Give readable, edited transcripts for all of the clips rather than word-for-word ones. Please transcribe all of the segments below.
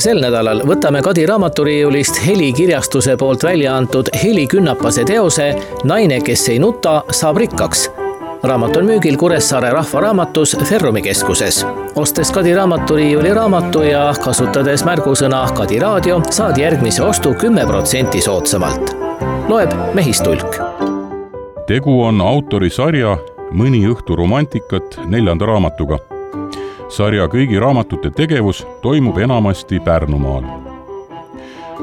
Sel nädalal võtame Kadi raamaturiiulist Heli kirjastuse poolt välja antud Heli Künnapase teose Naine, kes ei nuta, saab rikkaks. Raamat on müügil Kuressaare rahvaraamatus Ferrumi keskuses. Ostes Kadi raamaturiiuli raamatu ja kasutades märgusõna Kadi raadio, saad järgmise ostu 10% soodsamalt. Loeb Mehistulk. Tegu on autori sarja Mõni õhtu romantikat 4. raamatuga. Sarja kõigi raamatute tegevus toimub enamasti Pärnumaal.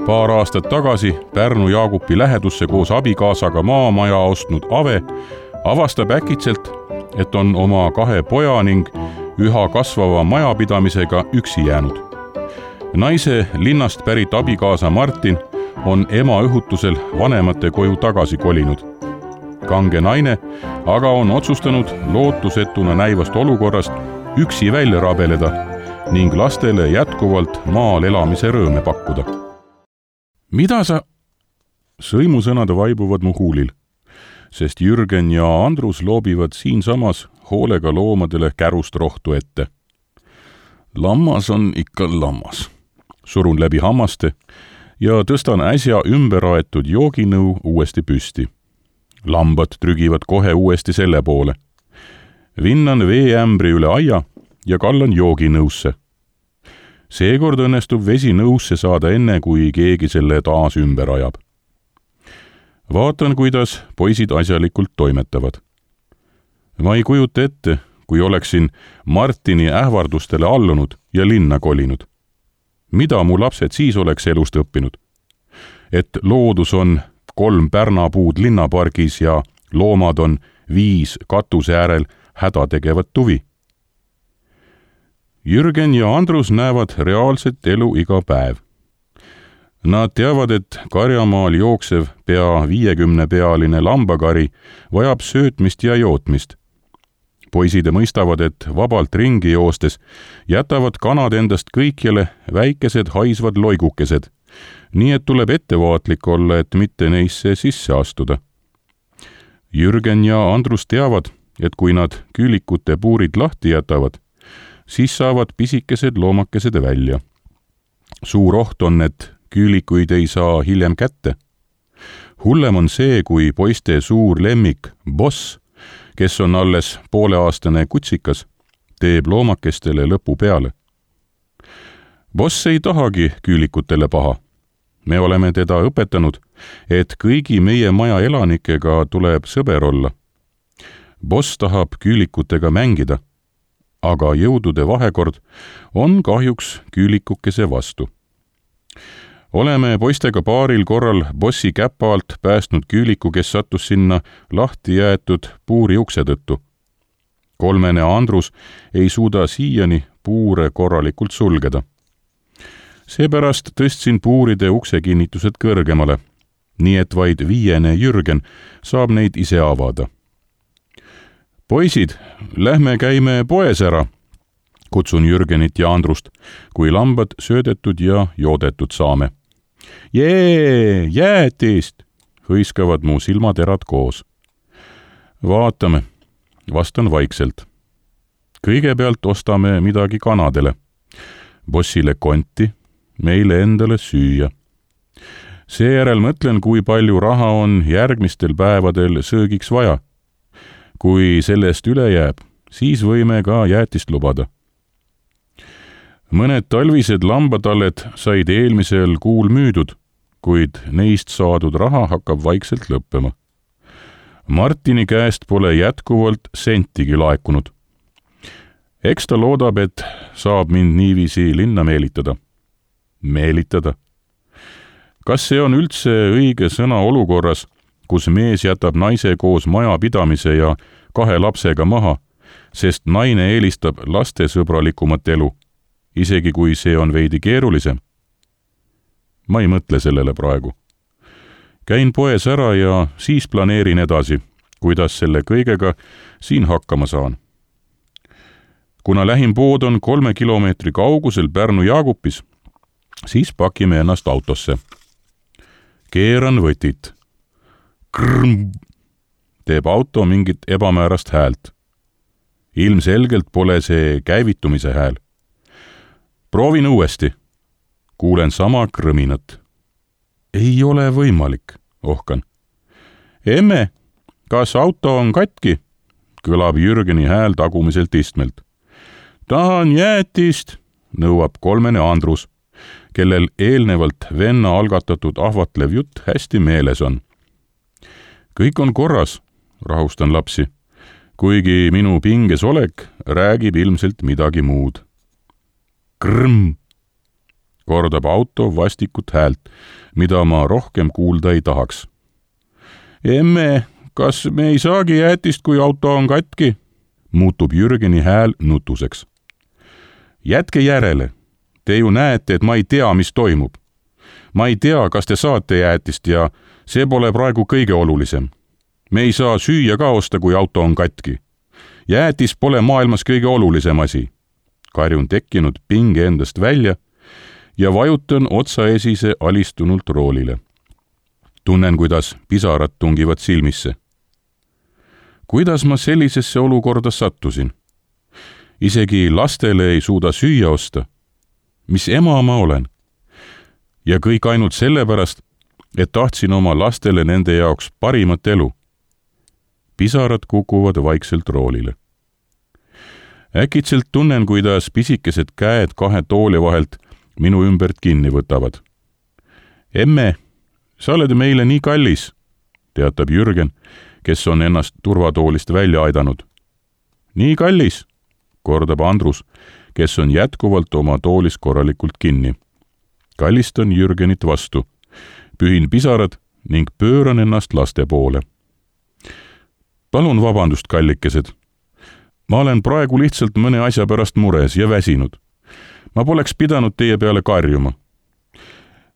Paar aastat tagasi Pärnu Jaagupi lähedusse koos abikaasaga maamaja ostnud Ave avastab äkitselt, et on oma 2 poja ning üha kasvava majapidamisega üksi jäänud. Naise linnast pärit abikaasa Martin on ema õhutusel vanemate koju tagasi kolinud. Kange naine aga on otsustanud lootusetuna näivast olukorrast üksi välja rabeleda ning lastele jätkuvalt maal elamise rõõme pakkuda. Mida sa? Sõimusõnad vaibuvad mu huulil, sest Jürgen ja Andrus loobivad siinsamas hoolega loomadele kärust rohtu ette. Lammas on ikka lammas. Surun läbi hammaste ja tõstan äsja ümber aetud jooginõu uuesti püsti. Lambad trügivad kohe uuesti selle poole. Vinnan veeämbri üle aia ja kallan jooginõusse. Seekord õnnestub vesi nõusse saada enne, kui keegi selle taas ümber ajab. Vaatan, kuidas poisid asjalikult toimetavad. Ma ei kujuta ette, kui oleksin Martini ähvardustele allunud ja linna kolinud. Mida mu lapsed siis oleks elust õppinud? Et loodus on 3 pärnapuud linnapargis ja loomad on 5 katuse äärel häda tegevat tuvi. Jürgen ja Andrus näevad reaalset elu iga päev. Nad teavad, et Karjamaal jooksev pea 50-pealine lambakari vajab söötmist ja jootmist. Poisid mõistavad, et vabalt ringi joostes jätavad kanad endast kõikjale väikesed haisvad loigukesed, nii et tuleb ettevaatlik olla, et mitte neisse sisse astuda. Jürgen ja Andrus teavad, et kui nad küülikute puurid lahti jätavad, siis saavad pisikesed loomakesed välja. Suur oht on, et küülikuid ei saa hiljem kätte. Hullem on see, kui poiste suur lemmik Boss, kes on alles pooleaastane kutsikas, teeb loomakestele lõpu peale. Boss ei tahagi küülikutele paha. Me oleme teda õpetanud, et kõigi meie maja elanikega tuleb sõber olla. Boss tahab küülikutega mängida, aga jõudude vahekord on kahjuks küülikukese vastu. Oleme poistega paaril korral Bossi käpa alt päästnud küüliku, kes sattus sinna lahti jäetud puuri ukse tõttu. 3. Andrus ei suuda siiani puure korralikult sulgeda. Seepärast tõstsin puuride uksekinnitused kõrgemale, nii et vaid 5. Jürgen saab neid ise avada. Poisid, lähme käime poes ära, kutsun Jürgenit ja Andrust, kui lambad söödetud ja joodetud saame. Jee, jäätist, hõiskavad mu silmaterad koos. Vaatame, vastan vaikselt. Kõigepealt ostame midagi kanadele. Bossile konti, meile endale süüa. Seejärel mõtlen, kui palju raha on järgmistel päevadel söögiks vaja. Kui sellest üle jääb, siis võime ka jäätist lubada. Mõned talvised lambatalled said eelmisel kuul müüdud, kuid neist saadud raha hakkab vaikselt lõppema. Martini käest pole jätkuvalt sentigi laekunud. Eks ta loodab, et saab mind niiviisi linna meelitada. Meelitada? Kas see on üldse õige sõna olukorras, kus mees jätab naise koos majapidamise ja 2 lapsega maha, sest naine eelistab lastesõbralikumat elu, isegi kui see on veidi keerulisem? Ma ei mõtle sellele praegu. Käin poes ära ja siis planeerin edasi, kuidas selle kõigega siin hakkama saan. Kuna lähim pood on 3 kilomeetri kaugusel Pärnu Jaagupis, siis pakime ennast autosse. Keeran võtit. Krrm! Teeb auto mingit ebamäärast häält. Ilmselgelt pole see käivitumise hääl. Proovin uuesti. kuulen sama krõminat. Ei ole võimalik, ohkan. Emme, kas auto on katki? Kõlab Jürgeni hääl tagumiselt istmelt. Tahan jäätist, nõuab kolmene Andrus, kellel eelnevalt venna algatatud ahvatlev jutt hästi meeles on. Kõik on korras, rahustan lapsi, kuigi minu pinges olek räägib ilmselt midagi muud. Krõmm, kordab auto vastikut häält, mida ma rohkem kuulda ei tahaks. Emme, kas me ei saagi jäätist, kui auto on katki? Muutub Jürgeni hääl nutuseks. Jätke järele. Te ju näete, et ma ei tea, mis toimub. Ma ei tea, kas te saate jäätist ja see pole praegu kõige olulisem. Me ei saa süüa ka osta, kui auto on katki. Jäätis pole maailmas kõige olulisem asi. Karjun tekkinud pinge endast välja ja vajutan otsaesise alistunult roolile. Tunnen, kuidas pisarad tungivad silmisse. Kuidas ma sellisesse olukorda sattusin? Isegi lastele ei suuda süüa osta. Mis ema ma olen? Ja kõik ainult sellepärast, et tahtsin oma lastele nende jaoks parimat elu. Pisarad kukuvad vaikselt roolile. Äkitselt tunnen, kuidas pisikesed käed kahe tooli vahelt minu ümbert kinni võtavad. Emme, sa oled meile nii kallis, teatab Jürgen, kes on ennast turvatoolist välja aidanud. Nii kallis, kordab Andrus, kes on jätkuvalt oma toolis korralikult kinni. Kallistan Jürgenit vastu, pühin pisarad ning pööran ennast laste poole. Palun vabandust, kallikesed. Ma olen praegu lihtsalt mõne asja pärast mures ja väsinud. Ma poleks pidanud teie peale karjuma.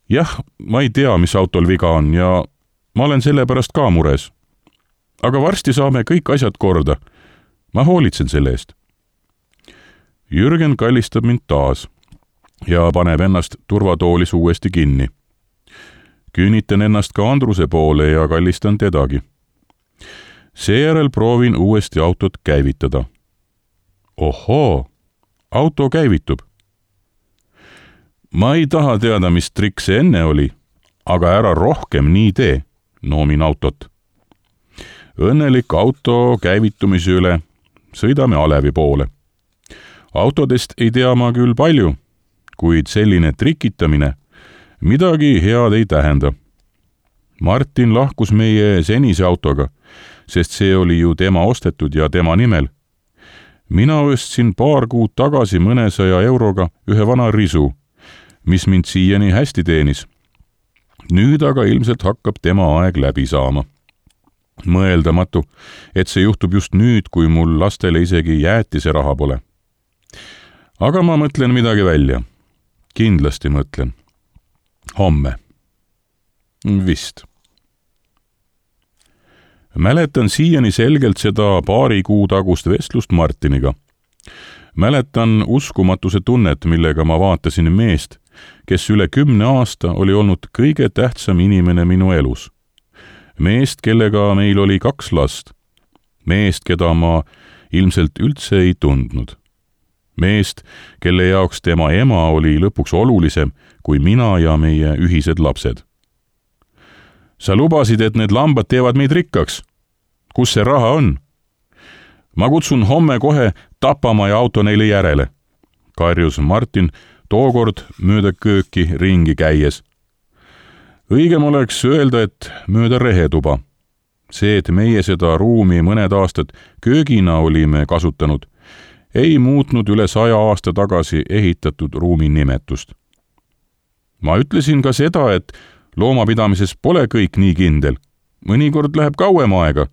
Jah, ma ei tea, mis autol viga on ja ma olen selle pärast ka mures. Aga varsti saame kõik asjad korda. Ma hoolitsen selle eest. Jürgen kallistab mind taas ja paneb ennast turvatoolis uuesti kinni. Küünitan ennast ka Andruse poole ja kallistan tedagi. Seejärel proovin uuesti autot käivitada. Ohoo, auto käivitub. Ma ei taha teada, mis trikk see enne oli, aga ära rohkem nii tee, noomin autot. Õnnelik auto käivitumise üle sõidame Alevi poole. Autodest ei tea ma küll palju, kuid selline trikitamine midagi head ei tähenda. Martin lahkus meie senise autoga, sest see oli ju tema ostetud ja tema nimel. Mina ostsin paar kuud tagasi mõnesaja euroga ühe vana risu, mis mind siiani hästi teenis. Nüüd aga ilmselt hakkab tema aeg läbi saama. Mõeldamatu, et see juhtub just nüüd, kui mul lastele isegi jäätise raha pole. Aga ma mõtlen midagi välja. Kindlasti mõtlen. Homme. Vist. Mäletan siiani selgelt seda paari kuu tagust vestlust Martiniga. Mäletan uskumatuse tunnet, millega ma vaatasin meest, kes üle 10 aasta oli olnud kõige tähtsam inimene minu elus. Meest, kellega meil oli 2 last. Meest, keda ma ilmselt üldse ei tundnud. Meest, kelle jaoks tema ema oli lõpuks olulisem kui mina ja meie ühised lapsed. Sa lubasid, et need lambad teevad meid rikkaks. Kus see raha on? Ma kutsun homme kohe tapama ja auto neile järele, karjus Martin tookord mööda kööki ringi käies. Õigem oleks öelda, et mööda rehetuba. See, et meie seda ruumi mõned aastad köögina olime kasutanud, ei muutnud üle 100 aasta tagasi ehitatud ruumi nimetust. Ma ütlesin ka seda, et loomapidamises pole kõik nii kindel. Mõnikord läheb kauem aega.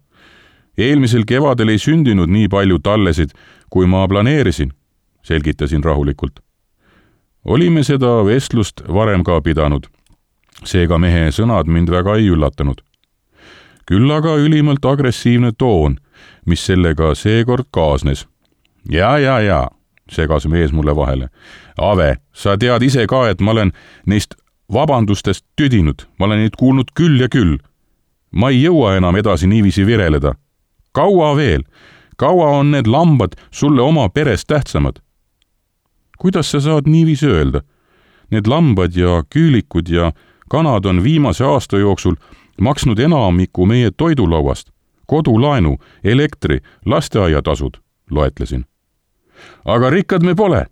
Eelmisel kevadel ei sündinud nii palju tallesid, kui ma planeerisin, selgitasin rahulikult. Olime seda vestlust varem ka pidanud. Seega mehe sõnad mind väga ei üllatanud. Küll aga ülimalt agressiivne toon, mis sellega seekord kaasnes. Ja, segas mees mulle vahele. Ave, sa tead ise ka, et ma olen neist vabandustest tüdinud. Ma olen neid kuulnud küll ja küll. Ma ei jõua enam edasi niiviisi vireleda. Kaua veel? Kaua on need lambad sulle oma perest tähtsamad? Kuidas sa saad niiviisi öelda? Need lambad ja küülikud ja kanad on viimase aasta jooksul maksnud enamiku meie toidulauast, kodulaenu, elektri, lasteaiatasud, loetlesin. Aga rikkad me pole.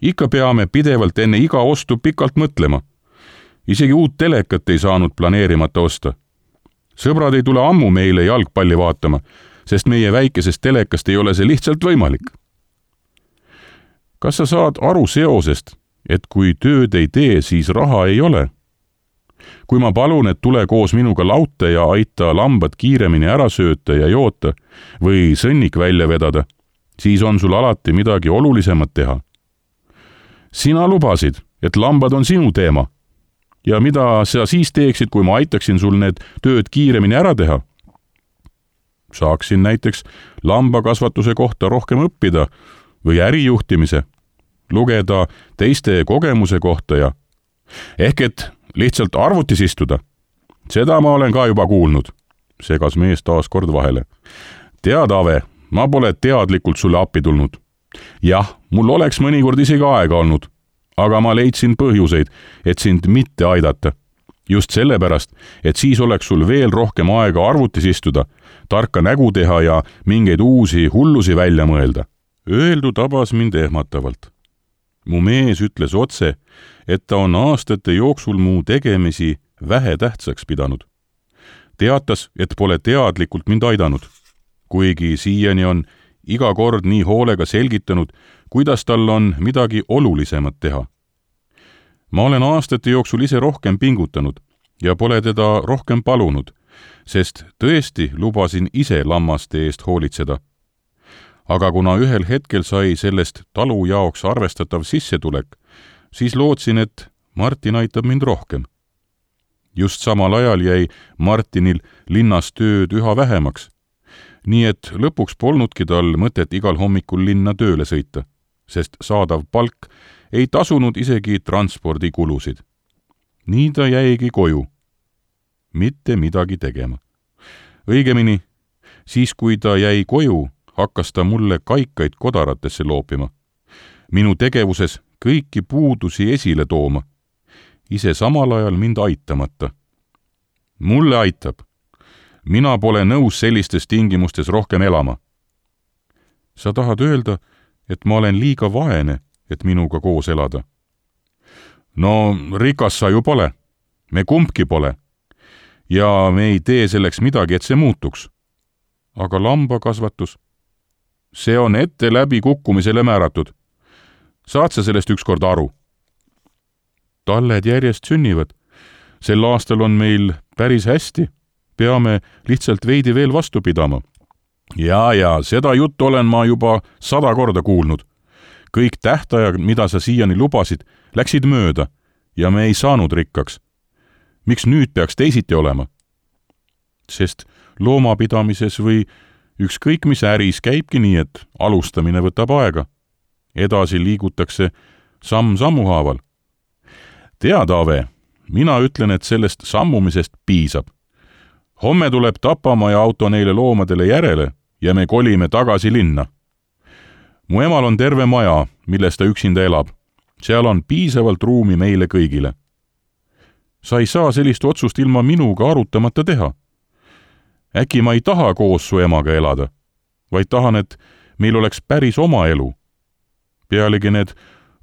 Ikka peame pidevalt enne iga ostu pikalt mõtlema. Isegi uut telekat ei saanud planeerimata osta. Sõbrad ei tule ammu meile jalgpalli vaatama, sest meie väikesest telekast ei ole see lihtsalt võimalik. Kas sa saad aru seosest, et kui tööd ei tee, siis raha ei ole? Kui ma palun, et tule koos minuga laute ja aita lambad kiiremini ära sööta ja joota või sõnnik välja vedada, siis on sul alati midagi olulisemat teha. Sina lubasid, et lambad on sinu teema. Ja mida sa siis teeksid, kui ma aitaksin sul need tööd kiiremini ära teha? Saaksin näiteks lambakasvatuse kohta rohkem õppida või ärijuhtimise, lugeda teiste kogemuse kohta ja ehk et lihtsalt arvutis istuda. Seda ma olen ka juba kuulnud, segas mees taas kord vahele. Tead, Ave, ma pole teadlikult sulle appi tulnud. Jah, mul oleks mõnikord isegi aega olnud, aga ma leidsin põhjuseid, et sind mitte aidata. Just sellepärast, et siis oleks sul veel rohkem aega arvutis istuda, tarka nägu teha ja mingeid uusi hullusi välja mõelda. Öeldu tabas mind ehmatavalt. Mu mees ütles otse, et ta on aastate jooksul mu tegemisi vähe tähtsaks pidanud. Teatas, et pole teadlikult mind aidanud, kuigi siiani on iga kord nii hoolega selgitanud, kuidas tal on midagi olulisemat teha. Ma olen aastate jooksul ise rohkem pingutanud ja pole teda rohkem palunud, sest tõesti lubasin ise lammaste eest hoolitseda. Aga kuna ühel hetkel sai sellest talu jaoks arvestatav sissetulek, siis lootsin, et Martin aitab mind rohkem. Just samal ajal jäi Martinil linnas tööd üha vähemaks, nii et lõpuks polnudki tal mõtet igal hommikul linna tööle sõita, sest saadav palk ei tasunud isegi transpordikulusid. Nii ta jäigi koju, mitte midagi tegema. Õigemini, siis kui ta jäi koju, hakkas ta mulle kaikaid kodaratesse loopima. Minu tegevuses kõiki puudusi esile tooma, ise samal ajal mind aitamata. Mulle aitab. Mina pole nõus sellistes tingimustes rohkem elama. Sa tahad öelda, et ma olen liiga vaene, et minuga koos elada? No rikas sa ju pole. Me kumbki pole. Ja me ei tee selleks midagi, et see muutuks. Aga lambakasvatus? See on ette läbi kukkumisele määratud. Saad sa sellest ükskord aru? Talled järjest sünnivad. Sel aastal on meil päris hästi. Peame lihtsalt veidi veel vastu pidama. Ja, seda juttu olen ma juba 100 korda kuulnud. Kõik tähtajad, mida sa siiani lubasid, läksid mööda ja me ei saanud rikkaks. Miks nüüd peaks teisiti olema? Sest loomapidamises või ükskõik mis äris käibki nii, et alustamine võtab aega. Edasi liigutakse samm sammu haaval. Tead, Ave, mina ütlen, et sellest sammumisest piisab. Homme tuleb Tapamaa ja auto neile loomadele järele ja me kolime tagasi linna. Mu emal on terve maja, milles ta üksinda elab. Seal on piisavalt ruumi meile kõigile. Sa ei saa sellist otsust ilma minuga arutamata teha. Äkki ma ei taha koos su emaga elada, vaid tahan, et meil oleks päris oma elu. Pealegi need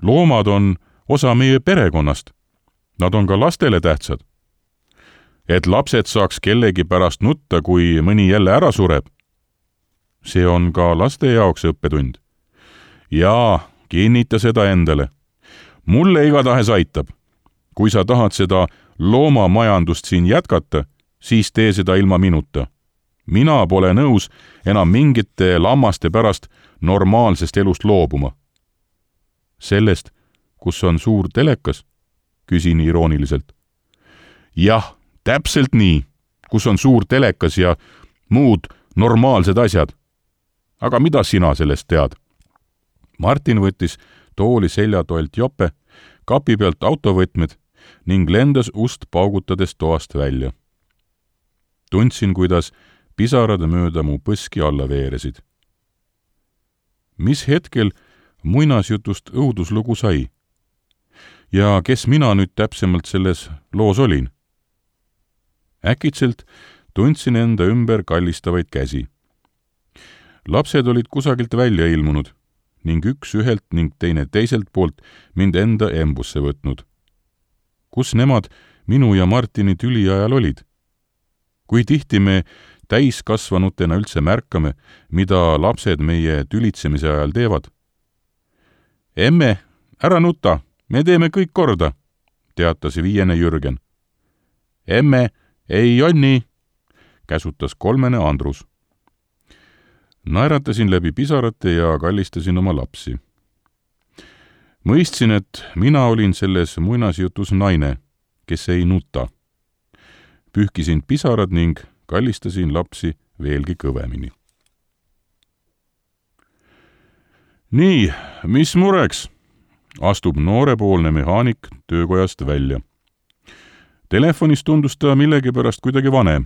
loomad on osa meie perekonnast. Nad on ka lastele tähtsad. Et lapsed saaks kellegi pärast nutta, kui mõni jälle ära sureb. See on ka laste jaoks õppetund. Jaa, kinnita seda endale. Mulle igatahes aitab. Kui sa tahad seda loomamajandust siin jätkata, siis tee seda ilma minuta. Mina pole nõus enam mingite lammaste pärast normaalsest elust loobuma. Sellest, kus on suur telekas, küsin irooniliselt. Jah, täpselt nii, kus on suur telekas ja muud normaalsed asjad. Aga mida sina sellest tead? Martin võttis tooli seljatoelt jope, kapi pealt autovõtmed ning lendas ust paugutades toast välja. Tundsin, kuidas pisarad mööda mu põski alla veeresid. Mis hetkel muinasjutust õuduslugu sai? Ja kes mina nüüd täpsemalt selles loos olin? Äkitselt tundsin enda ümber kallistavaid käsi. Lapsed olid kusagilt välja ilmunud ning üks ühelt ning teine teiselt poolt mind enda embusse võtnud. Kus nemad minu ja Martini tüli ajal olid? Kui tihti me täiskasvanutena üldse märkame, mida lapsed meie tülitsemise ajal teevad? Emme, ära nuta, me teeme kõik korda, teatas 5. Jürgen. Emme, ei Jonni, käsutas 3. Andrus. Naeratasin läbi pisarate ja kallistasin oma lapsi. Mõistsin, et mina olin selles muinasjutus naine, kes ei nuta. Pühkisin pisarad ning kallistasin lapsi veelgi kõvemini. Nii, mis mureks? Astub noorepoolne mehaanik töökojast välja. Telefonis tundus ta millegipärast kuidagi vanem.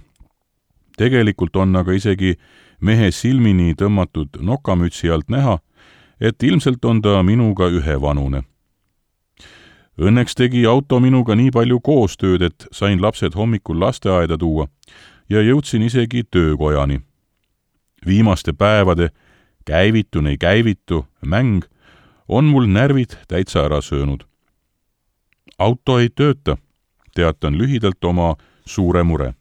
Tegelikult on aga isegi mehe silmini tõmmatud nokamütsi alt näha, et ilmselt on ta minuga ühevanune. Õnneks tegi auto minuga nii palju koostööd, et sain lapsed hommikul lasteaeda tuua ja jõudsin isegi töökojani. Viimaste päevade käivitun ei käivitu mäng on mul närvid täitsa ära söönud. Auto ei tööta, teatan lühidalt oma suure mure.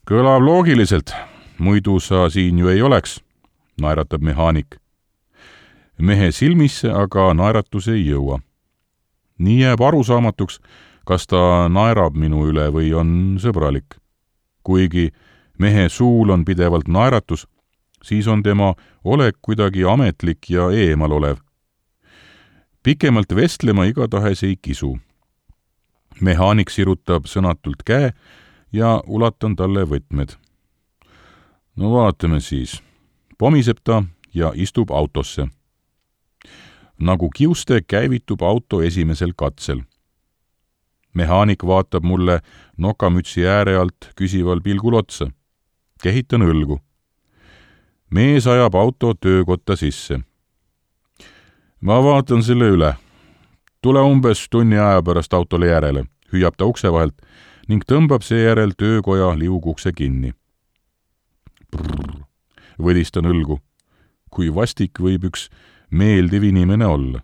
Kõlab loogiliselt, muidu sa siin ju ei oleks, naeratab mehaanik. Mehe silmisse aga naeratus ei jõua. Nii jääb arusaamatuks, kas ta naerab minu üle või on sõbralik. Kuigi mehe suul on pidevalt naeratus, siis on tema olek kuidagi ametlik ja eemal olev. Pikemalt vestlema igatahes ei kisu. Mehaanik sirutab sõnatult käe ja ulatan talle võtmed. No vaatame siis. Pomiseb ta ja istub autosse. Nagu kiuste käivitub auto esimesel katsel. Mehaanik vaatab mulle nokamütsi ääre alt küsival pilgul otsa. Kehitan õlgu. Mees ajab auto töökotta sisse. Ma vaatan selle üle. Tule umbes tunni aja pärast autole järele, hüüab ta ukse vahelt ning tõmbab seejärel töökoja liugukse kinni. Brrr, võdistan õlgu. Kui vastik võib üks meeldiv inimene olla.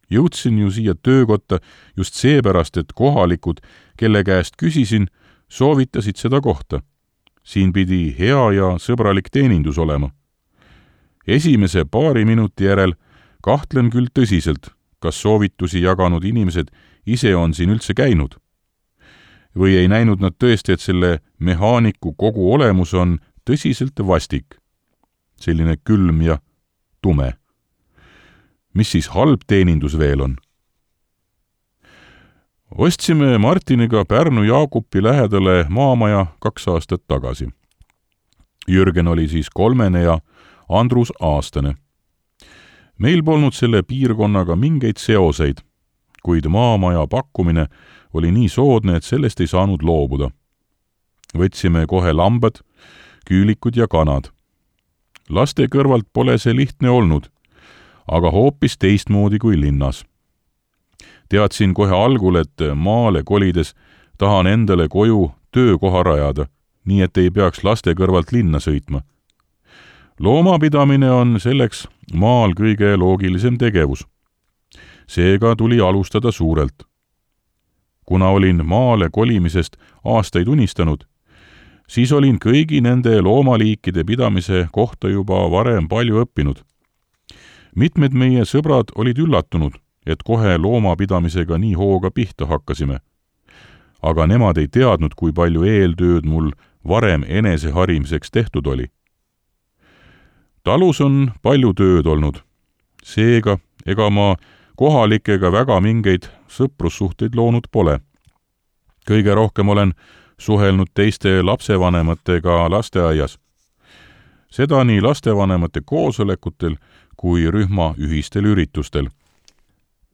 Jõudsin ju siia töökotta just seepärast, et kohalikud, kelle käest küsisin, soovitasid seda kohta. Siin pidi hea ja sõbralik teenindus olema. Esimese paari minuti järel kahtlen küll tõsiselt, kas soovitusi jaganud inimesed ise on siin üldse käinud. Või ei näinud nad tõesti, et selle mehaaniku kogu olemus on tõsiselt vastik. Selline külm ja tume. Mis siis halb teenindus veel on? Ostsime Martiniga Pärnu Jaagupi lähedale maamaja 2 aastat tagasi. Jürgen oli siis 3 ja Andrus aastane. Meil polnud selle piirkonnaga mingeid seoseid, kuid maamaja pakkumine oli nii soodne, et sellest ei saanud loobuda. Võtsime kohe lambad, küülikud ja kanad. Laste kõrvalt pole see lihtne olnud, aga hoopis teistmoodi kui linnas. Teadsin kohe algul, et maale kolides tahan endale koju töökoha rajada, nii et ei peaks laste kõrvalt linna sõitma. Loomapidamine on selleks maal kõige loogilisem tegevus. Seega tuli alustada suurelt. Kuna olin maale kolimisest aastaid unistanud, siis olin kõigi nende loomaliikide pidamise kohta juba varem palju õppinud. Mitmed meie sõbrad olid üllatunud, et kohe loomapidamisega nii hooga pihta hakkasime. Aga nemad ei teadnud, kui palju eeltööd mul varem eneseharimiseks tehtud oli. Talus on palju tööd olnud. Seega, ega ma kohalikega väga mingeid sõprussuhteid loonud pole. Kõige rohkem olen suhelnud teiste lapsevanematega lasteaias. Seda nii lastevanemate koosolekutel kui rühma ühistel üritustel.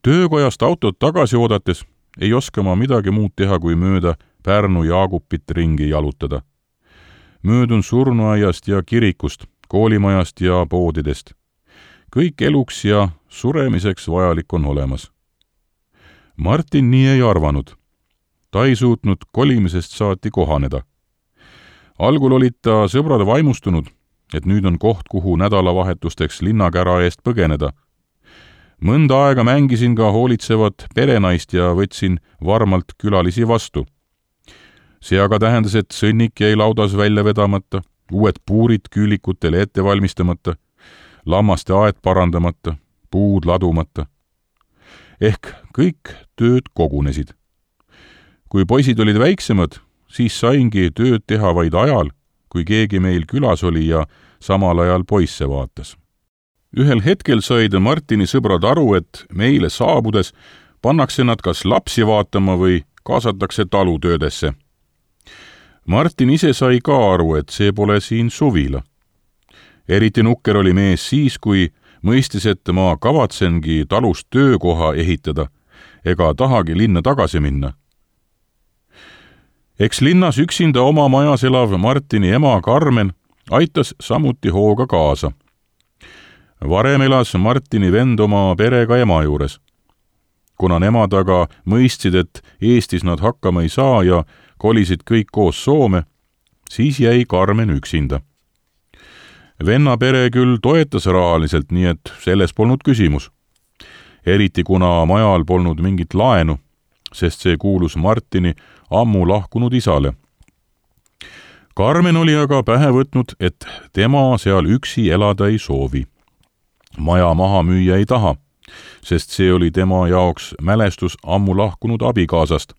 Töökojast autot tagasi oodates ei oska ma midagi muud teha, kui mööda Pärnu Jaagupit ringi jalutada. Möödun surnuaiast ja kirikust, koolimajast ja poodidest. kõik eluks ja suremiseks vajalik on olemas. Martin nii ei arvanud. Ta ei suutnud kolimisest saati kohaneda. Algul olid ta sõbrad vaimustunud, et nüüd on koht, kuhu nädalavahetusteks linnakära eest põgeneda. Mõnda aega mängisin ka hoolitsevat perenaist ja võtsin varmalt külalisi vastu. See aga tähendas, et sõnnik jäi laudas välja vedamata, uued puurid küülikutele ette valmistamata, lammaste aed parandamata, puud ladumata. Ehk kõik tööd kogunesid. Kui poisid olid väiksemad, siis saingi tööd teha vaid ajal, kui keegi meil külas oli ja samal ajal poisse vaatas. Ühel hetkel said Martini sõbrad aru, et meile saabudes pannakse nad kas lapsi vaatama või kaasatakse talutöödesse. Martin ise sai ka aru, et see pole siin suvila. Eriti nukker oli mees siis, kui mõistis, et ma kavatsengi talust töökoha ehitada ega tahagi linna tagasi minna. Eks linnas üksinda oma majas elav Martini ema Karmen aitas samuti hooga kaasa. Varem elas Martini vend oma perega ema juures. Kuna nemad aga mõistsid, et Eestis nad hakkama ei saa ja kolisid kõik koos Soome, siis jäi Karmen üksinda. Venna pere küll toetas rahaliselt, nii et selles polnud küsimus. Eriti kuna majal polnud mingit laenu, sest see kuulus Martini ammu lahkunud isale. Karmen oli aga pähe võtnud, et tema seal üksi elada ei soovi. Maja maha müüa ei taha, sest see oli tema jaoks mälestus ammu lahkunud abikaasast.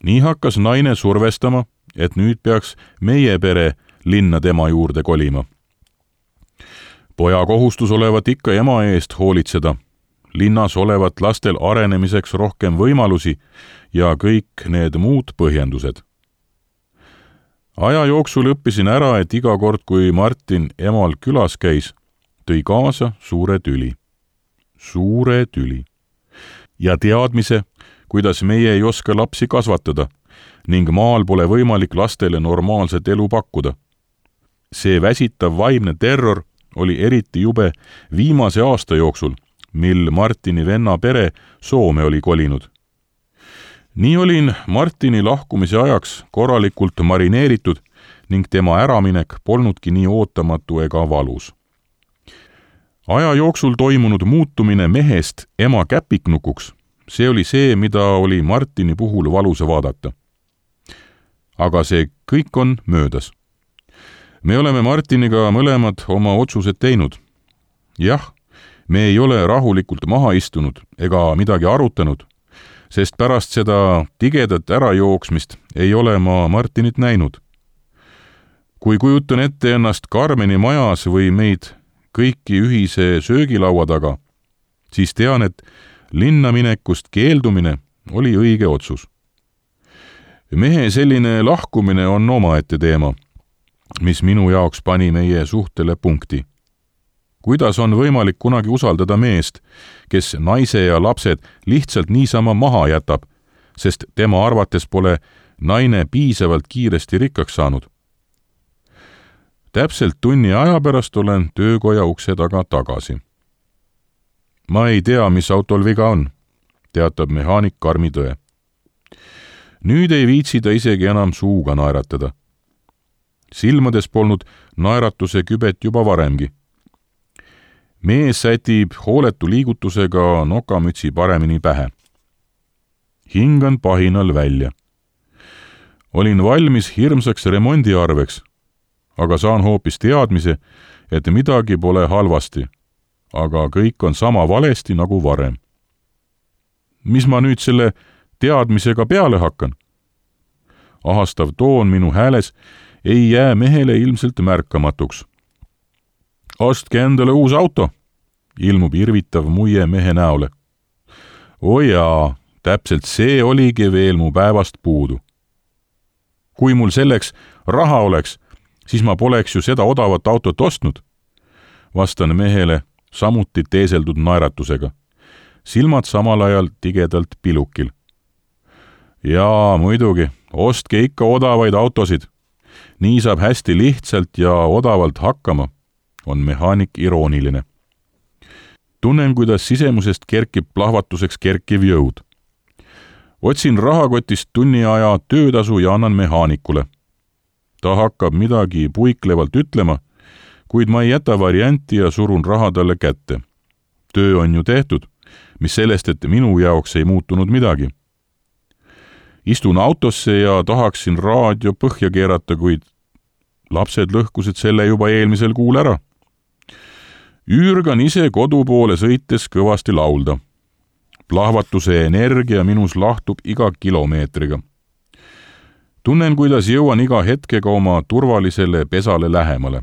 Nii hakkas naine survestama, et nüüd peaks meie pere linna tema juurde kolima. Poja kohustus olevat ikka ema eest hoolitseda, linnas olevat lastel arenemiseks rohkem võimalusi ja kõik need muud põhjendused. Aja jooksul õppisin ära, et iga kord, kui Martin emal külas käis, tõi kaasa suure tüli. Suure tüli. Ja teadmise, kuidas meie ei oska lapsi kasvatada ning maal pole võimalik lastele normaalset elu pakkuda. See väsitav vaimne terror oli eriti jube viimase aasta jooksul, mil Martini venna pere Soome oli kolinud. Nii olin Martini lahkumise ajaks korralikult marineeritud ning tema äraminek polnudki nii ootamatu ega valus. Aja jooksul toimunud muutumine mehest ema käpiknukuks, see oli see, mida oli Martini puhul valus vaadata. Aga see kõik on möödas. Me oleme Martiniga mõlemad oma otsused teinud. Jah, me ei ole rahulikult maha istunud ega midagi arutanud, sest pärast seda tigedat ärajooksmist ei ole ma Martinit näinud. Kui kujutan ette ennast Karmeni majas või meid kõiki ühise söögilaua taga, siis tean, et linna minekust keeldumine oli õige otsus. Mehe selline lahkumine on omaette teema, mis minu jaoks pani meie suhtele punkti. Kuidas on võimalik kunagi usaldada meest, kes naise ja lapsed lihtsalt niisama maha jätab, sest tema arvates pole naine piisavalt kiiresti rikkaks saanud? Täpselt tunni aja pärast olen töökoja ukse taga tagasi. Ma ei tea, mis autol viga on, teatab mehaanik karmi tõe. Nüüd ei viitsi ta isegi enam suuga naeratada. Silmades polnud naeratuse kübet juba varemgi. Mees sätib hooletu liigutusega nokamütsi paremini pähe. Hingan pahinal välja. Olin valmis hirmsaks remondiarveks, aga saan hoopis teadmise, et midagi pole halvasti, aga kõik on sama valesti nagu varem. Mis ma nüüd selle teadmisega peale hakkan? Ahastav toon minu hääles ei jää mehele ilmselt märkamatuks. Ostke endale uus auto, ilmub irvitav muie mehe näole. O jaa, täpselt see oligi veel mu päevast puudu. Kui mul selleks raha oleks, siis ma poleks ju seda odavat autot ostnud, vastan mehele samuti teeseldud naeratusega, silmad samal ajal tigedalt pilukil. Jaa, muidugi, ostke ikka odavaid autosid. Nii saab hästi lihtsalt ja odavalt hakkama, on mehaanik irooniline. Tunnen, kuidas sisemusest kerkib plahvatuseks kerkiv jõud. Otsin rahakotist tunni aja töötasu ja annan mehaanikule. Ta hakkab midagi puiklevalt ütlema, kuid ma ei jäta varianti ja surun raha talle kätte. Töö on ju tehtud, mis sellest, et minu jaoks ei muutunud midagi. Istun autosse ja tahaksin raadio põhja keerata, kuid lapsed lõhkusid selle juba eelmisel kuul ära. Üürgan ise kodu poole sõites kõvasti laulda. Plahvatuse energia minus lahtub iga kilomeetriga. Tunnen, kuidas jõuan iga hetkega oma turvalisele pesale lähemale.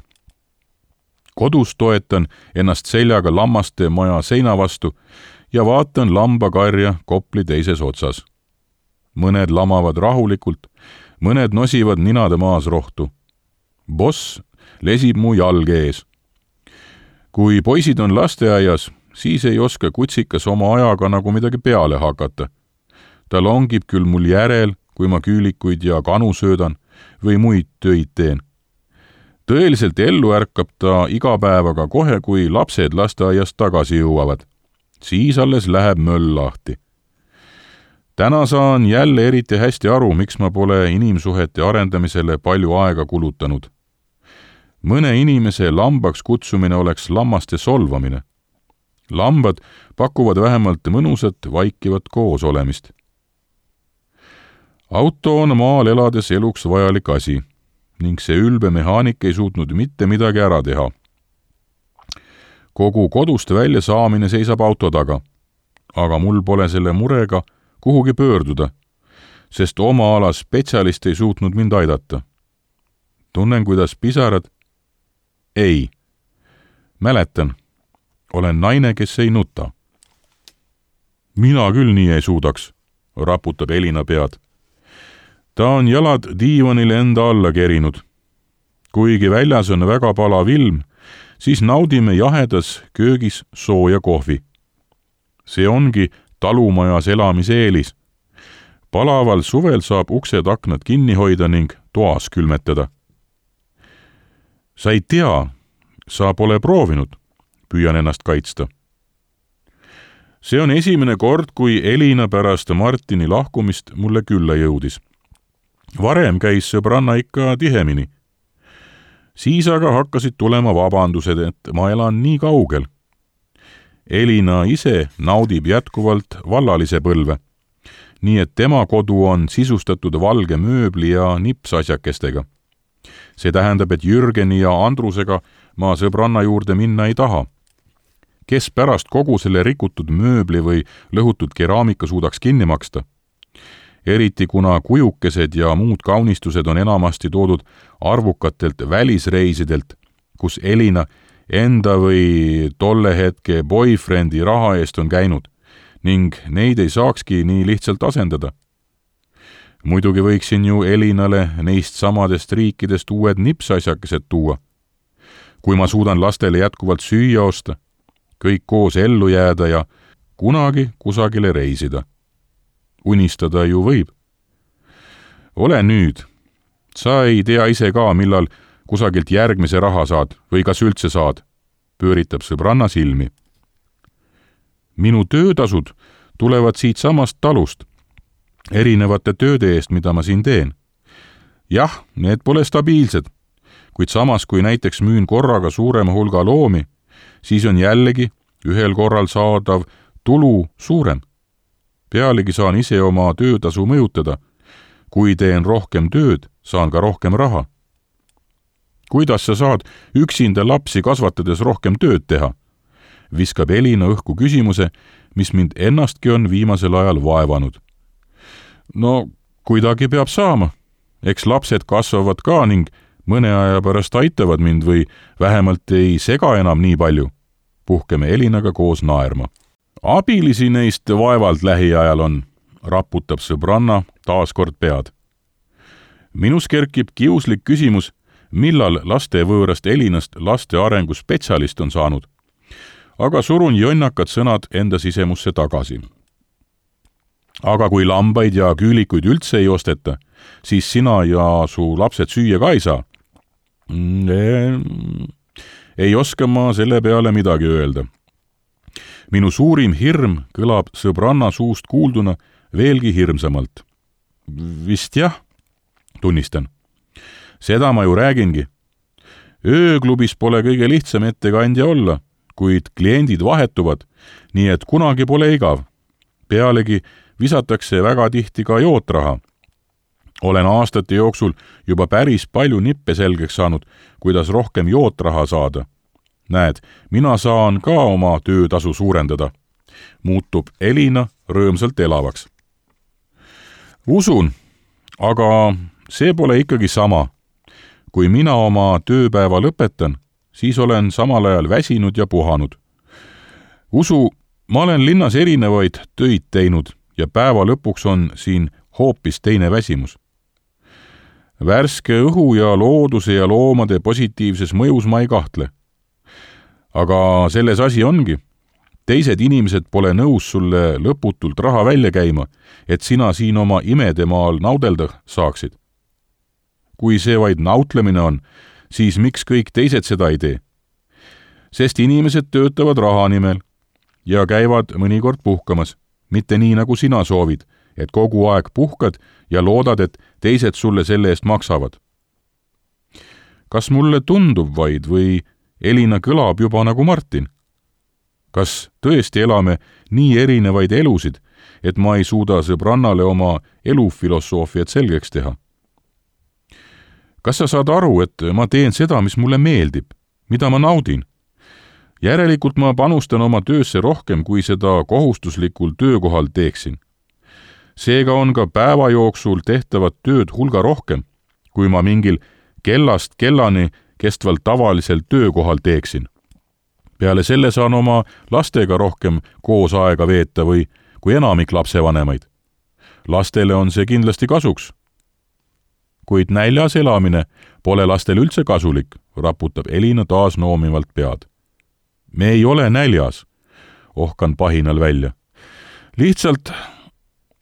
Kodus toetan ennast seljaga lammaste maja seina vastu ja vaatan lambakarja Kopli teises otsas. Mõned lamavad rahulikult, mõned nosivad ninade maas rohtu. Boss lesib mu jalg ees. Kui poisid on lasteaias, siis ei oska kutsikas oma ajaga nagu midagi peale hakata. Ta longib küll mul järel, kui ma küülikuid ja kanu söödan või muid töid teen. Tõeliselt ellu ärkab ta iga päevaga kohe, kui lapsed lasteaiast tagasi jõuavad. Siis alles läheb möll lahti. Täna saan jälle eriti hästi aru, miks ma pole inimsuhete arendamisele palju aega kulutanud. Mõne inimese lambaks kutsumine oleks lammaste solvamine. Lambad pakuvad vähemalt mõnusat vaikivat koos olemist. Auto on maal elades eluks vajalik asi ning see ülbe mehaanik ei suutnud mitte midagi ära teha. Kogu kodust välja saamine seisab auto taga, aga mul pole selle murega kuhugi pöörduda, sest oma ala spetsialist ei suutnud mind aidata. Tunnen, kuidas pisarad. Ei. Mäletan. Olen naine, kes ei nuta. Mina küll nii ei suudaks, raputab Elina pead. Ta on jalad diivanile enda alla kerinud. Kuigi väljas on väga palav ilm, siis naudime jahedas köögis sooja kohvi. See ongi talumajas elamise eelis. Palaval suvel saab uksed aknad kinni hoida ning toas külmetada. Sa ei tea, sa pole proovinud, püüan ennast kaitsta. See on esimene kord, kui Elina pärast Martini lahkumist mulle külla jõudis. Varem käis sõbranna ikka tihemini. Siis aga hakkasid tulema vabandused, et ma elan nii kaugel. Elina ise naudib jätkuvalt vallalise põlve, nii et tema kodu on sisustatud valge mööbli ja nipsasjakestega. See tähendab, et Jürgeni ja Andrusega ma sõbranna juurde minna ei taha. Kes pärast kogu selle rikutud mööbli või lõhutud keraamika suudaks kinni maksta? Eriti kuna kujukesed ja muud kaunistused on enamasti toodud arvukatelt välisreisidelt, kus Elina enda või tolle hetke boyfriendi raha eest on käinud ning neid ei saakski nii lihtsalt asendada. Muidugi võiksin ju Elinale neist samadest riikidest uued nipsasjakesed tuua. Kui ma suudan lastele jätkuvalt süüa osta, kõik koos ellu jääda ja kunagi kusagile reisida. Unistada ju võib. Ole nüüd. Sa ei tea ise ka, millal kusagilt järgmise raha saad või kas üldse saad, pööritab sõbranna silmi. Minu töötasud tulevad siit samast talust, erinevate tööde eest, mida ma siin teen. Jah, need pole stabiilsed, kuid samas kui näiteks müün korraga suurema hulga loomi, siis on jällegi ühel korral saadav tulu suurem. Pealegi saan ise oma töötasu mõjutada. Kui teen rohkem tööd, saan ka rohkem raha. Kuidas sa saad üksinda lapsi kasvatades rohkem tööd teha? Viskab Elina õhku küsimuse, mis mind ennastki on viimasel ajal vaevanud. No, kuidagi peab saama. Eks lapsed kasvavad ka ning mõne aja pärast aitavad mind või vähemalt ei sega enam nii palju. Puhkeme Elinaga koos naerma. Abilisi neist vaevalt lähiajal on, raputab sõbranna taaskord pead. Minus kerkib kiuslik küsimus, millal laste võõrast Elinast laste arengu spetsialist on saanud. Aga surun jonnakad sõnad enda sisemusse tagasi. Aga kui lambaid ja küülikuid üldse ei osteta, siis sina ja su lapsed süüa ka ei saa. Ei oska ma selle peale midagi öelda. minu suurim hirm kõlab sõbranna suust kuulduna veelgi hirmsamalt. Vist jah, tunnistan. Seda ma ju räägingi. Ööklubis pole kõige lihtsam ettekandja olla, kuid kliendid vahetuvad, nii et kunagi pole igav. Pealegi visatakse väga tihti ka jootraha. Olen aastate jooksul juba päris palju nippe selgeks saanud, kuidas rohkem jootraha saada. Näed, mina saan ka oma töötasu suurendada. Muutub Elina rõõmsalt elavaks. Usun, aga see pole ikkagi sama. Kui mina oma tööpäeva lõpetan, siis olen samal ajal väsinud ja puhanud. Usu, ma olen linnas erinevaid töid teinud ja päeva lõpuks on siin hoopis teine väsimus. Värske õhu ja looduse ja loomade positiivses mõjus ma ei kahtle. Aga selles asi ongi. Teised inimesed pole nõus sulle lõputult raha välja käima, et sina siin oma imedemaal naudelda saaksid. Kui see vaid nautlemine on, siis miks kõik teised seda ei tee? Sest inimesed töötavad raha nimel ja käivad mõnikord puhkamas, mitte nii nagu sina soovid, et kogu aeg puhkad ja loodad, et teised sulle selle eest maksavad. Kas mulle tundub vaid või Elina kõlab juba nagu Martin? Kas tõesti elame nii erinevaid elusid, et ma ei suuda sõbrannale oma elufilosoofiat selgeks teha? Kas sa saad aru, et ma teen seda, mis mulle meeldib, mida ma naudin? Järelikult ma panustan oma töösse rohkem, kui seda kohustuslikul töökohal teeksin. Seega on ka päeva jooksul tehtavat tööd hulga rohkem, kui ma mingil kellast kellani kestvalt tavalisel töökohal teeksin. Peale selle saan oma lastega rohkem koos aega veeta või kui enamik lapsevanemaid. Lastele on see kindlasti kasuks. Kuid näljas elamine pole lastel üldse kasulik, raputab Elina taas noomivalt pead. Me ei ole näljas, ohkan pahinal välja. Lihtsalt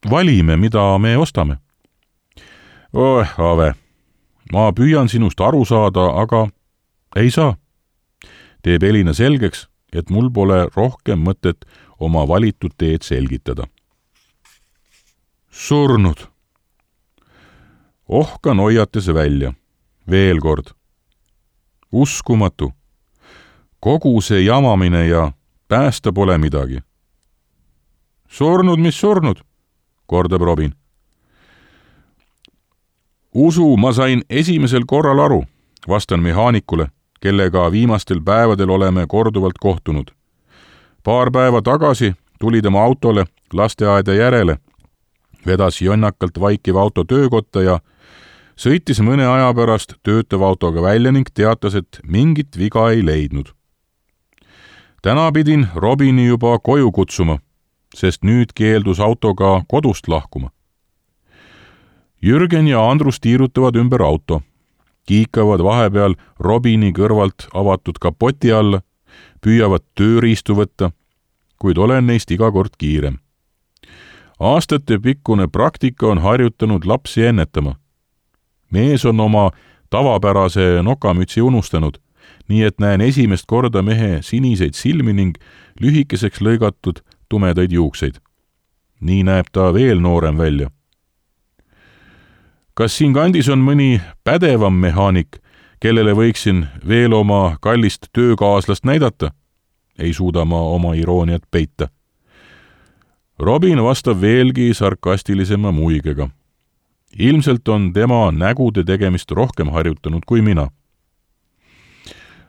valime, mida me ostame. Ave, ma püüan sinust aru saada, aga ei saa. Teeb Elina selgeks, et mul pole rohkem mõtet oma valitud teed selgitada. Surnud. Ohkan hoiates välja. Veel kord. Uskumatu. Kogu see jamamine ja päästa pole midagi. Surnud, mis surnud, kordab Robin. Usu, ma sain esimesel korral aru, vastan mehaanikule, kellega viimastel päevadel oleme korduvalt kohtunud. Paar päeva tagasi tuli tema autole lasteaeda järele, vedas jonnakalt vaikiv auto töökotta ja sõitis mõne aja pärast töötava autoga välja ning teatas, et mingit viga ei leidnud. Täna pidin Robini juba koju kutsuma, sest nüüd keeldus autoga kodust lahkuma. Jürgen ja Andrus tiirutavad ümber auto, kiikavad vahepeal Robini kõrvalt avatud kapoti alla, püüavad tööriistu võtta, kuid olen neist iga kord kiirem. Aastate pikkune praktika on harjutanud lapsi ennetama. Mees on oma tavapärase nokamütsi unustanud, nii et näen esimest korda mehe siniseid silmi ning lühikeseks lõigatud tumedaid juukseid. Nii näeb ta veel noorem välja. Kas siin kandis on mõni pädevam mehaanik, kellele võiksin veel oma kallist töökaaslast näidata? Ei suuda ma oma irooniat peita. Robin vastab veelgi sarkastilisema muigega. Ilmselt on tema nägude tegemist rohkem harjutanud kui mina.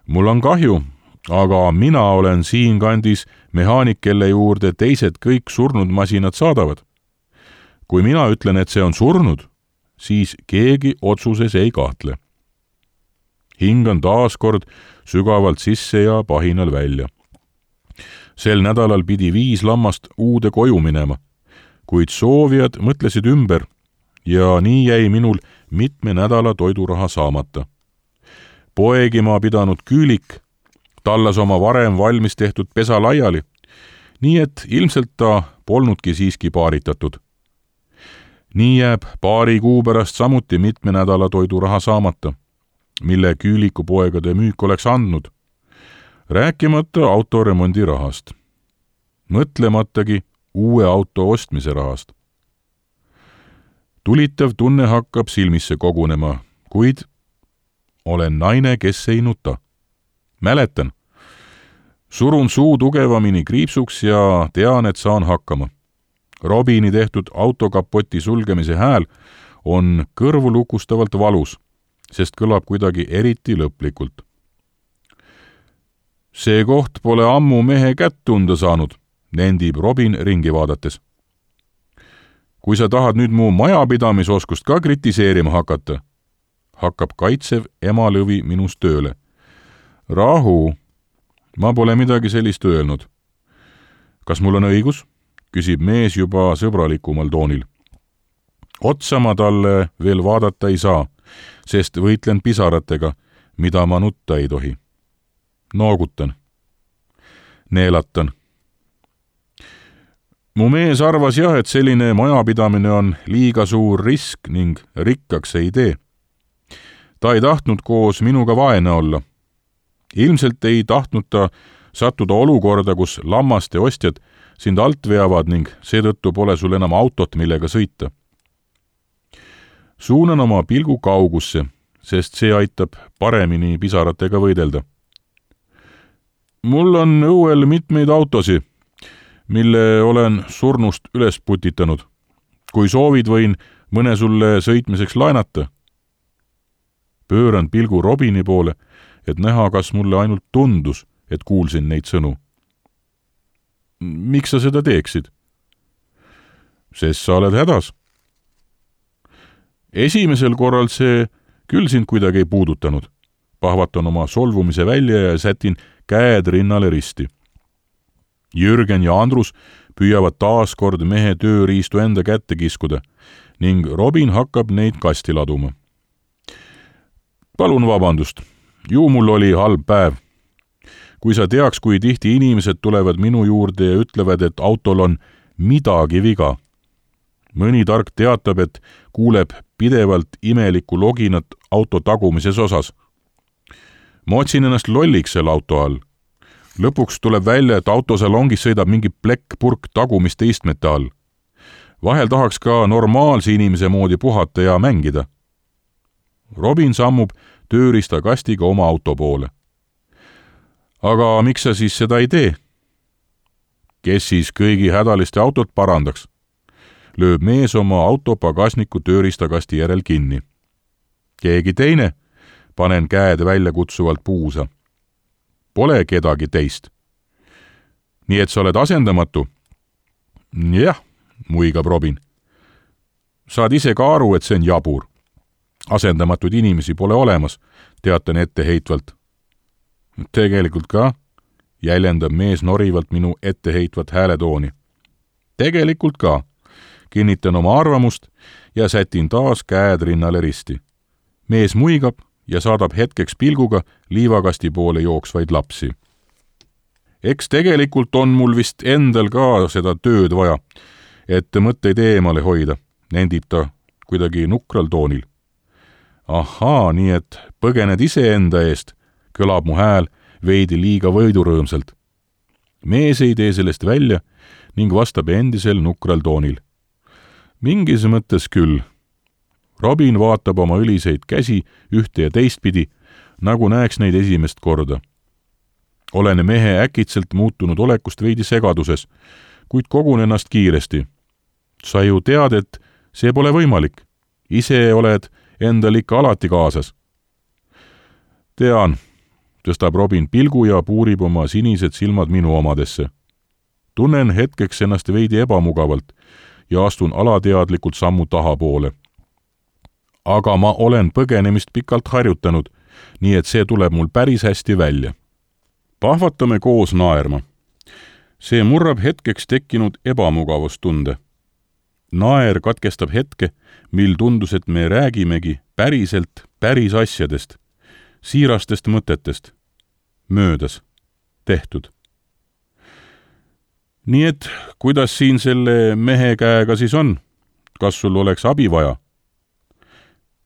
Mul on kahju, aga mina olen siin kandis mehaanik, kelle juurde teised kõik surnud masinad saadavad. Kui mina ütlen, et see on surnud, siis keegi otsuses ei kahtle. Hingan taas kord sügavalt sisse ja pahinal välja. Sel nädalal pidi 5 lammast uude koju minema, kuid soovijad mõtlesid ümber ja nii jäi minul mitme nädala toiduraha saamata. Poegima pidanud küülik tallas oma varem valmis tehtud pesa laiali, nii et ilmselt ta polnudki siiski paaritatud. Nii jääb paari kuu pärast samuti mitme nädala toiduraha saamata, mille küüliku poegade müük oleks andnud, rääkimata autoremondi rahast. mõtlematagi uue auto ostmise rahast. Tulitav tunne hakkab silmisse kogunema, kuid olen naine, kes ei nuta. Mäletan. Surun suu tugevamini kriipsuks ja tean, et saan hakkama. Robini tehtud autokapoti sulgemise hääl on kõrvulukustavalt valus, sest kõlab kuidagi eriti lõplikult. See koht pole ammu mehe kätt tunda saanud, nendib Robin ringi vaadates. Kui sa tahad nüüd mu majapidamisoskust ka kritiseerima hakata, hakkab kaitsev emalõvi minust tööle. Rahu, ma pole midagi sellist öelnud. Kas mul on õigus? Küsib mees juba sõbralikumal toonil. Otsa ma talle veel vaadata ei saa, sest võitlen pisaratega, mida ma nutta ei tohi. Noogutan. Neelatan. Mu mees arvas jah, et selline majapidamine on liiga suur risk ning rikkaks ei tee. Ta ei tahtnud koos minuga vaene olla. Ilmselt ei tahtnud ta sattuda olukorda, kus lammaste ostjad sind alt veavad ning seetõttu pole sul enam autot, millega sõita. Suunan oma pilgu kaugusse, sest see aitab paremini pisaratega võidelda. Mul on õuel mitmeid autosi, mille olen surnust üles putitanud. Kui soovid, võin mõne sulle sõitmiseks laenata. Pööran pilgu Robini poole, et näha, kas mulle ainult tundus, et kuulsin neid sõnu. Miks sa seda teeksid? Sest sa oled hädas. Esimesel korral see küll sind kuidagi ei puudutanud. Pahvatan oma solvumise välja ja sätin käed rinnale risti. Jürgen ja Andrus püüavad taaskord mehe tööriistu enda kätte kiskuda ning Robin hakkab neid kasti laduma. Palun vabandust, ju mul oli halb päev. Kui sa teaks, kui tihti inimesed tulevad minu juurde ja ütlevad, et autol on midagi viga. Mõni tark teatab, et kuuleb pidevalt imelikku loginat auto tagumises osas. Ma otsin ennast lolliks selle auto all. Lõpuks tuleb välja, et autosalongis sõidab mingi plekkpurk tagumiste istmete all. Vahel tahaks ka normaalse inimese moodi puhata ja mängida. Robin sammub tööriista kastiga oma auto poole. Aga miks sa siis seda ei tee? Kes siis kõigi hädaliste autot parandaks? Lööb mees oma auto pagasniku tööriistakasti järel kinni. Keegi teine? Panen käed välja kutsuvalt puusa. Pole kedagi teist. Nii et sa oled asendamatu? Jah, muigab Robin. Saad ise ka aru, et see on jabur. Asendamatuid inimesi pole olemas, teatan etteheitvalt. Tegelikult ka, jäljendab mees norivalt minu etteheitvat hääletooni. Tegelikult ka, kinnitan oma arvamust ja sätin taas käed rinnale risti. Mees muigab ja saadab hetkeks pilguga liivakasti poole jooksvaid lapsi. Eks tegelikult on mul vist endal ka seda tööd vaja, et mõtteid eemale hoida, nendib ta kuidagi nukral toonil. Ahaa, nii et põgened iseenda eest, kõlab mu hääl veidi liiga võidurõõmsalt. Mees ei tee sellest välja ning vastab endisel nukral toonil. Mingis mõttes küll. Robin vaatab oma õliseid käsi ühte ja teistpidi, nagu näeks neid esimest korda. Olen mehe äkitselt muutunud olekust veidi segaduses, kuid kogun ennast kiiresti. Sa ju tead, et see pole võimalik. Ise oled endal ikka alati kaasas. Tean, tõstab Robin pilgu ja puurib oma sinised silmad minu omadesse. Tunnen hetkeks ennast veidi ebamugavalt ja astun alateadlikult sammu tahapoole. Aga ma olen põgenemist pikalt harjutanud, nii et see tuleb mul päris hästi välja. Pahvatame koos naerma. See murrab hetkeks tekkinud ebamugavustunde. Naer katkestab hetke, mil tundus, et me räägimegi päriselt päris asjadest, siirastest mõtetest, möödas, tehtud. Nii et, kuidas siin selle mehe käega siis on? Kas sul oleks abi vaja?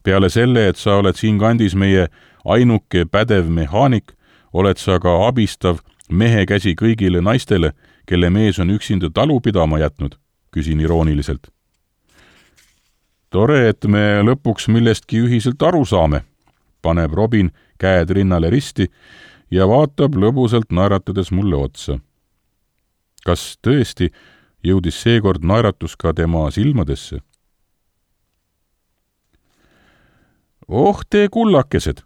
Peale selle, et sa oled siin kandis meie ainuke pädev mehaanik, oled sa ka abistav mehe käsi kõigile naistele, kelle mees on üksinda talu pidama jätnud, küsin irooniliselt. Tore, et me lõpuks millestki ühiselt aru saame, paneb Robin käed rinnale risti ja vaatab lõbusalt naeratades mulle otsa. Kas tõesti jõudis seekord naeratus ka tema silmadesse? Oh, te kullakesed!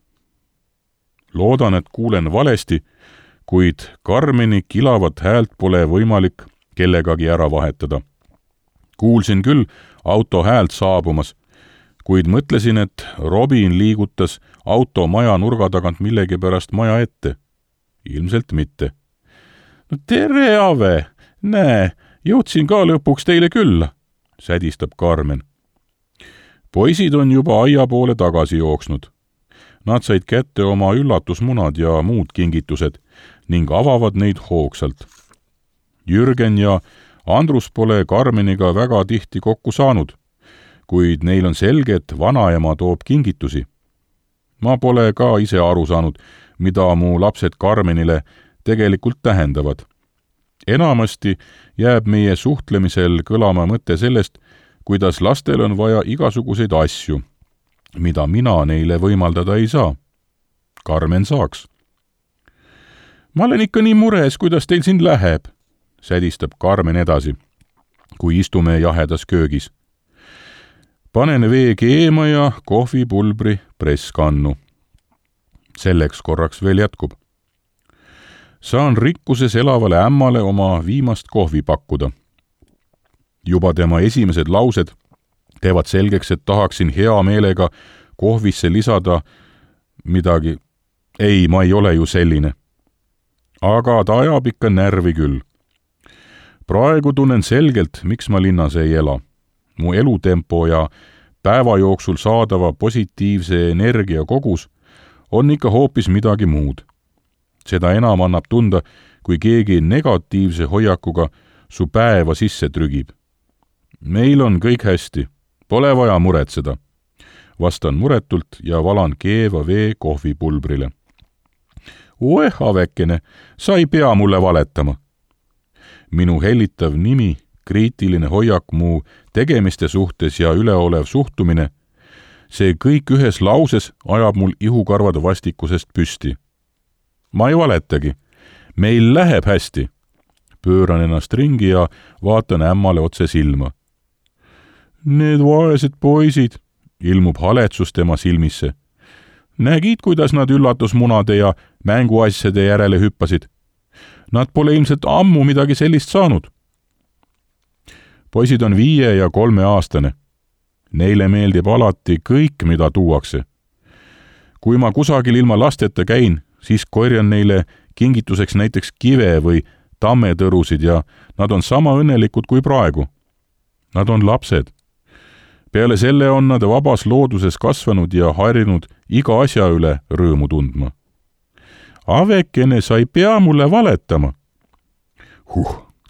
Loodan, et kuulen valesti, kuid Karmeni kilavat häält pole võimalik kellegagi ära vahetada. Kuulsin küll auto häält saabumas, kuid mõtlesin, et Robin liigutas auto maja nurga tagant millegipärast maja ette. Ilmselt mitte. No tere, Ave! Näe, jõudsin ka lõpuks teile külla, sädistab Karmen. Poisid on juba aia poole tagasi jooksnud. Nad said kätte oma üllatusmunad ja muud kingitused ning avavad neid hoogsalt. Jürgen ja Andrus pole Karmeniga väga tihti kokku saanud, kuid neil on selge, et vanaema toob kingitusi. Ma pole ka ise aru saanud, mida mu lapsed Karmenile tegelikult tähendavad. Enamasti jääb meie suhtlemisel kõlama mõte sellest, kuidas lastel on vaja igasuguseid asju, mida mina neile võimaldada ei saa. Karmen saaks. Ma olen ikka nii mures, kuidas teil siin läheb, sädistab Karmen edasi, kui istume jahedas köögis. Panen vee keema ja kohvipulbri presskannu. Selleks korraks veel jätkub. Saan rikkuses elavale ämmale oma viimast kohvi pakkuda. Juba tema esimesed laused teevad selgeks, et tahaksin hea meelega kohvisse lisada midagi. Ei, ma ei ole ju selline. Aga ta ajab ikka närvi küll. Praegu tunnen selgelt, miks ma linnas ei ela. Mu elutempo ja päeva jooksul saadava positiivse energia kogus on ikka hoopis midagi muud. Seda enam annab tunda, kui keegi negatiivse hoiakuga su päeva sisse trügib. Meil on kõik hästi, pole vaja muretseda. Vastan muretult ja valan keeva vee kohvipulbrile. Oeh, Avekene, sa ei pea mulle valetama. Minu hellitav nimi, kriitiline hoiak mu tegemiste suhtes ja üleolev suhtumine, see kõik ühes lauses ajab mul ihukarvad vastikusest püsti. Ma ei valetagi. Meil läheb hästi. Pööran ennast ringi ja vaatan ämmale otse silma. Need vaesed poisid, ilmub haletsus tema silmisse. Nägid, kuidas nad üllatusmunade ja mänguasjade järele hüppasid? Nad pole ilmselt ammu midagi sellist saanud. Poisid on 5 ja 3-aastane. Neile meeldib alati kõik, mida tuuakse. Kui ma kusagil ilma lasteta käin, siis korjan neile kingituseks näiteks kive või tammetõrusid ja nad on sama õnnelikud kui praegu. Nad on lapsed. Peale selle on nad vabas looduses kasvanud ja harjunud iga asja üle rõõmu tundma. Avekene, sa ei pea mulle valetama.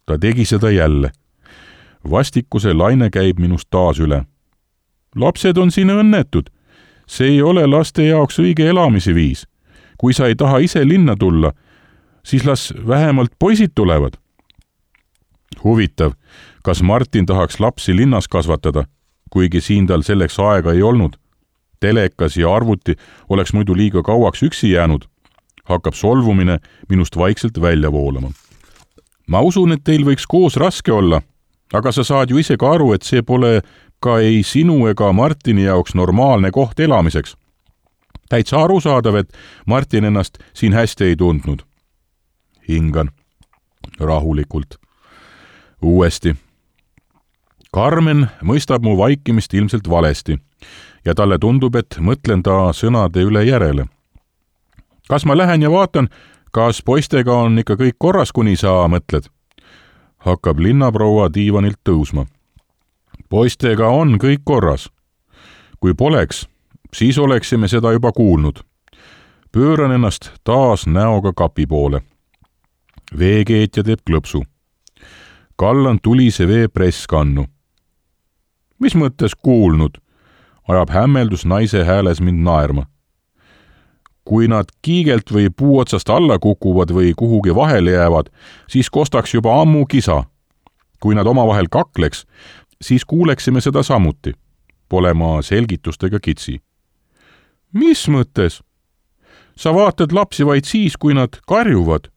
Ta tegi seda jälle. Vastikuse laine käib minust taas üle. Lapsed on siin õnnetud. See ei ole laste jaoks õige elamise viis. Kui sa ei taha ise linna tulla, siis las vähemalt poisid tulevad. Huvitav, kas Martin tahaks lapsi linnas kasvatada, kuigi siin tal selleks aega ei olnud. Telekas ja arvuti oleks muidu liiga kauaks üksi jäänud. Hakkab solvumine minust vaikselt välja voolama. Ma usun, et teil võiks koos raske olla, aga sa saad ju ise ka aru, et see pole ka ei sinu ega Martini jaoks normaalne koht elamiseks. Täitsa arusaadav, et Martin ennast siin hästi ei tundnud. Hingan rahulikult. Uuesti. Karmen mõistab mu vaikimist ilmselt valesti ja talle tundub, et mõtlen ta sõnade üle järele. Kas ma lähen ja vaatan, kas poistega on ikka kõik korras, kuni sa mõtled? Hakkab linnaproua diivanilt tõusma. Poistega on kõik korras. Kui poleks, siis oleksime seda juba kuulnud. Pööran ennast taas näoga kapi poole. Veekeetja teeb klõpsu. Kallan tulise vee presskannu. Mis mõttes kuulnud? Ajab hämmeldus naise hääles mind naerma. Kui nad kiigelt või puu otsast alla kukuvad või kuhugi vahele jäävad, siis kostaks juba ammu kisa. Kui nad omavahel kakleks, siis kuuleksime seda samuti. Pole ma selgitustega kitsi. Mis mõttes? Sa vaatad lapsi vaid siis, kui nad karjuvad.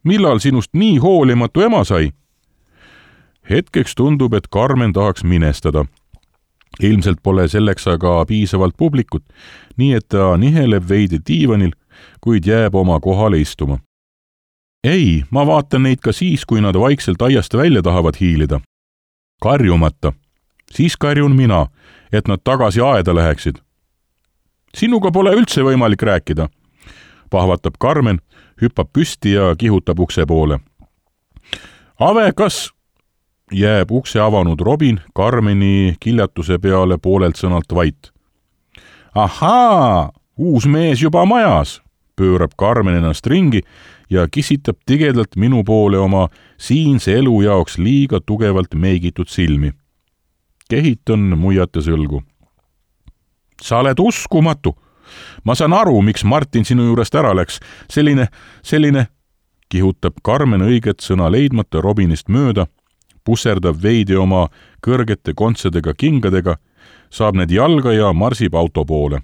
Millal sinust nii hoolimatu ema sai? Hetkeks tundub, et Karmen tahaks minestada. Ilmselt pole selleks aga piisavalt publikut, nii et ta niheleb veidi diivanil, kuid jääb oma kohale istuma. Ei, ma vaatan neid ka siis, kui nad vaikselt aiast välja tahavad hiilida. Karjumata. Siis karjun mina, et nad tagasi aeda läheksid. Sinuga pole üldse võimalik rääkida. Pahvatab Karmen, hüppab püsti ja kihutab ukse poole. Ave, kas... Jääb ukse avanud Robin Karmeni kiljatuse peale poolelt sõnalt vait. Ahaa, uus mees juba majas, pöörab Karmen ennast ringi ja kisitab tigedalt minu poole oma siinse elu jaoks liiga tugevalt meigitud silmi. Kehitan muiate sõlgu. Sa oled uskumatu. Ma saan aru, miks Martin sinu juurest ära läks. Selline, kihutab Karmen õiget sõna leidmata Robinist mööda, pusserdab veidi oma kõrgete kontsedega kingadega, saab need jalga ja marsib auto poole.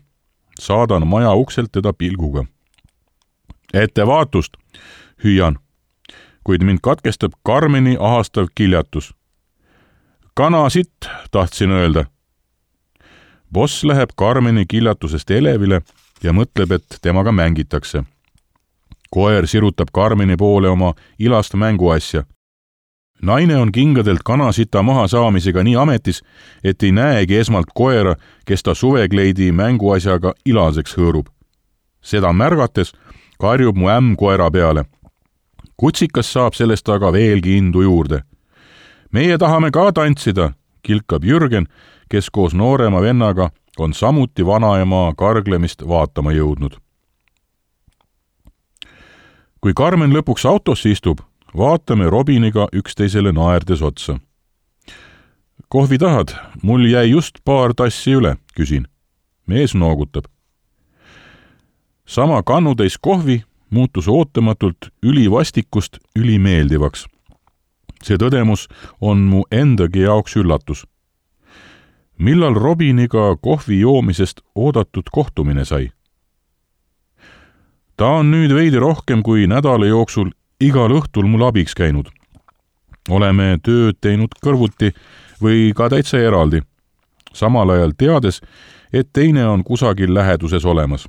Saadan maja ukselt teda pilguga. Ettevaatust, hüüan, kuid mind katkestab Karmeni ahastav kiljatus. Kanasitt, tahtsin öelda. Boss läheb Karmeni kiljatusest elevile ja mõtleb, et temaga mängitakse. Koer sirutab Karmeni poole oma ilast mänguasja. Naine on kingadelt kanasita maha saamisega nii ametis, et ei näegi esmalt koera, kes ta suvekleidi mänguasjaga ilaseks hõõrub. Seda märgates karjub mu ämm koera peale. Kutsikas saab sellest aga veelgi indu juurde. Meie tahame ka tantsida, kilkab Jürgen, kes koos noorema vennaga on samuti vanaema karglemist vaatama jõudnud. Kui Karmen lõpuks autosse istub, vaatame Robiniga üksteisele naerdes otsa. Kohvi tahad? Mul jäi just paar tassi üle, küsin. Mees noogutab. Sama kannutäis kohvi muutus ootamatult ülivastikust ülimeeldivaks. See tõdemus on mu endagi jaoks üllatus. Millal Robiniga kohvi joomisest oodatud kohtumine sai? Ta on nüüd veidi rohkem kui nädala jooksul igal õhtul mul abiks käinud. Oleme tööd teinud kõrvuti või ka täitsa eraldi, samal ajal teades, et teine on kusagil läheduses olemas.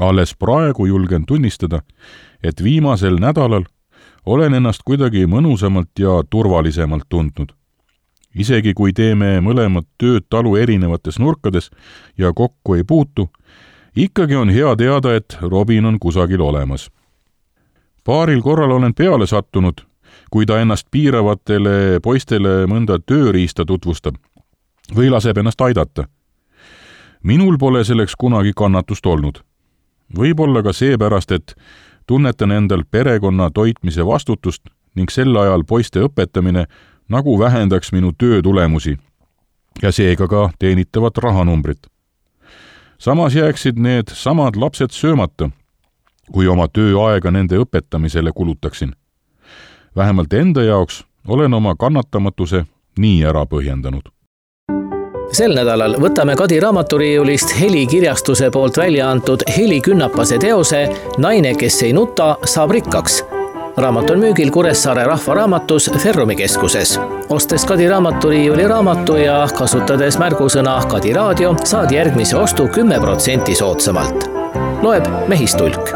Alles praegu julgen tunnistada, et viimasel nädalal olen ennast kuidagi mõnusamalt ja turvalisemalt tundnud. Isegi kui teeme mõlemad tööd talu erinevates nurkades ja kokku ei puutu, ikkagi on hea teada, et Robin on kusagil olemas. Paaril korral olen peale sattunud, kui ta ennast piiravatele poistele mõnda tööriista tutvustab või laseb ennast aidata. Minul pole selleks kunagi kannatust olnud. Võib-olla ka seepärast, et tunnetan endal perekonna toitmise vastutust ning sel ajal poiste õpetamine nagu vähendaks minu töötulemusi ja seega ka teenitavat rahanumbrit. Samas jääksid need samad lapsed söömata, kui oma tööaega nende õpetamisele kulutaksin. Vähemalt enda jaoks olen oma kannatamatuse nii ära põhjendanud. Sel nädalal võtame Kadi raamaturiiulist Heli kirjastuse poolt välja antud Heli Künnapase teose Naine, kes ei nuta, saab rikkaks. Raamat on müügil Kuressaare Rahvaraamatus Ferrumi keskuses. Ostes Kadi raamaturiiuli raamatu ja kasutades märgusõna Kadi raadio, saad järgmise ostu 10% soodsamalt. Loeb Mehistulk.